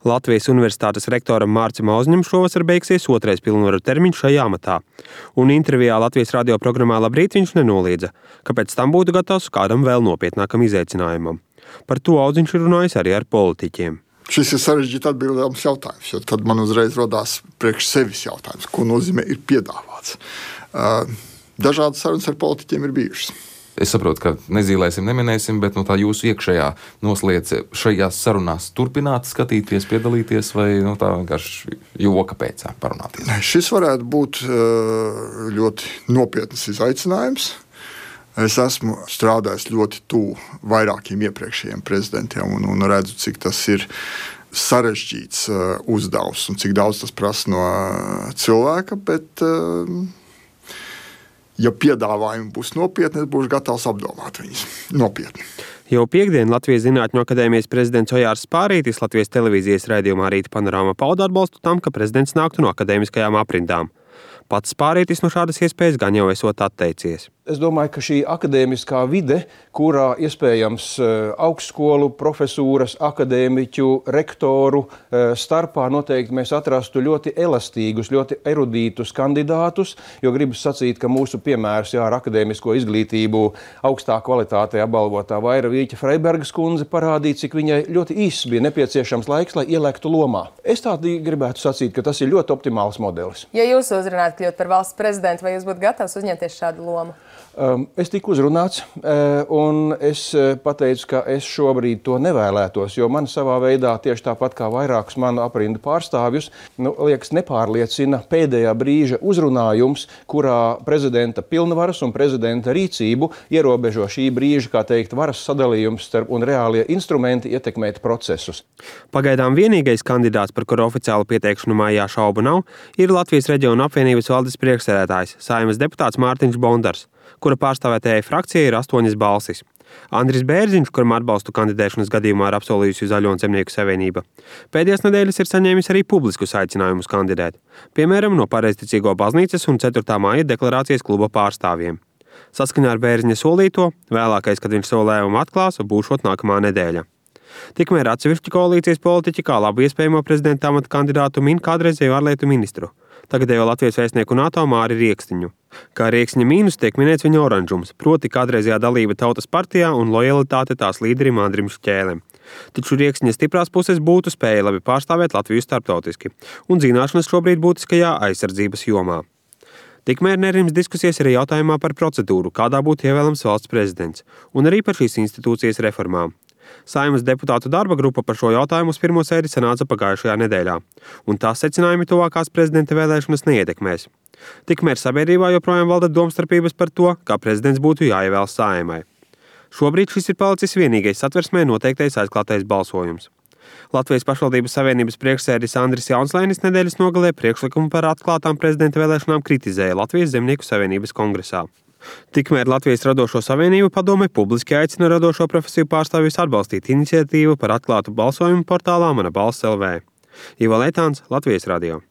Latvijas Universitātes rektoram Mārcim Auzņim šovasar beigsies otrais pilnvaru termiņš šajā amatā. Un intervijā Latvijas radio programmā Labrīt viņš nenoliedza, ka pēc tam būtu gatavs kādam vēl nopietnākam izaicinājumam. Par to Auzņš ir runājis arī ar politiķiem. Šis ir sarežģīti atbildāms jautājums, jo tad man uzreiz rodās priekš sevis jautājums, ko nozīmē ir piedāvāts. Dažādas sarunas ar politiķiem ir bijušas. Es saprotu, ka nezīmēsim, neminēsim, bet tā jūsu iekšējā nosliece šajās sarunās turpināt skatīties, piedalīties vai tā vienkārši joka pēc parunāties? Šis varētu būt ļoti nopietns izaicinājums. Es esmu strādājis ļoti tuvu vairākiem iepriekšējiem prezidentiem un redzu, cik tas ir sarežģīts uzdevums un cik daudz tas prasa no cilvēka, bet ja piedāvājumi būs nopietni, es būšu gatavs apdomāt viņus nopietni. Jau piektdien Latvijas Zinātņu akadēmijas prezidents Ojārs Spārītis Latvijas televīzijas raidījumā Rīta panorāma pauda atbalstu tam, ka prezidents nāktu no akadēmiskajām aprindām. Pats Spārītis no šādas iespējas gan jau esot atteicies. Es domāju, ka šī akadēmiskā vide, kurā iespējams augstskolu profesūras, akadēmiķu, rektoru starpā noteikti mēs atrastu ļoti elastīgus, ļoti erudītus kandidātus, jo gribas sacīt, ka mūsu piemērs ar akadēmisko izglītību augstā kvalitātē apbalvotā Vaira Vīķa Freibergas kundze parādīja, cik viņai ļoti īss bija nepieciešams laiks, lai ielēktu lomā. Es tādi gribētu sacīt, ka tas ir ļoti optimāls modelis. Ja jūs uzrunājat kļūt par valsts prezidentu, vai jūs būtu gatavs uzņemties šādu lomu? Es tiku uzrunāts, un es pateicu, ka es šobrīd to nevēlētos, jo man savā veidā, tieši tāpat kā vairākus manu aprindu pārstāvjus, liekas nepārliecina pēdējā brīža uzrunājums, kurā prezidenta pilnvaras un prezidenta rīcību ierobežo šī brīža, kā teikt, varas sadalījums starp un reālie instrumenti ietekmēt procesus. Pagaidām vienīgais kandidāts, par kuru oficiālu pieteikšanu mājā šaubu nav, ir Latvijas reģionu apvienības valdes priekšsēdētājs, Saeimas deputāts Mārtiņš Bondars, kura pārstāvētajai frakcijai ir 8 balsis. Andris Bērziņš, kuram atbalstu kandidēšanas gadījumā ir apsolījusi Zaļo un Zemnieku savienība, pēdējās nedēļas ir saņēmis arī publiskus aicinājumus kandidēt, piemēram, no Pareizticīgo baznīcas un 4. māja deklarācijas kluba pārstāvjiem. Saskaņā ar Bērziņa solīto, vēlākais, kad viņš savu lēmumu atklās, būšot nākamā nedēļa. Tikmēr atsevišķi koalīcijas politiķi kā labu iespējamo prezidenta amata kandidātu min kādreizējo ārlietu ministru, tagadējo Latvijas vēstnieku NATO Māri Riekstiņu. Kā Rieksņa mīnus tiek minēts viņa oranžums, proti kādreizējā dalība Tautas partijā un lojalitāte tās līderim Andrim Šķēlem. Taču Rieksņa stiprās puses būtu spēja labi pārstāvēt Latviju starptautiski, un zināšanas šobrīd būtiskajā aizsardzības jomā. Tikmēr nerims diskusijas arī jautājumā par procedūru, kādā būtu ievēlams valsts prezidents, un arī par šīs institūcijas reformām. Saeimas deputātu darba grupa par šo jautājumu uz pirmo sēdi sanāca pagājušajā nedēļā, un tās secinājumi tuvākās prezidenta vēlēšanas neietekmēs. Tikmēr sabiedrībā joprojām valda domstarpības par to, kā prezidents būtu jāievēl Saeimai. Šobrīd šis ir palicis vienīgais Satversmē noteiktais aizklātais balsojums. Latvijas pašvaldības savienības priekšsēdis Andris Jaunslēnis nedēļas nogalē priekšlikumu par atklātām prezidenta vēlēšanām kritizēja Latvijas Zemnieku savienības kongresā. Tikmēr Latvijas Radošo savienību padome publiski aicina radošo profesiju pārstāvjus atbalstīt iniciatīvu par atklātu balsojumu portālā Mana balss LV. Ivo Leitāns, Latvijas radio.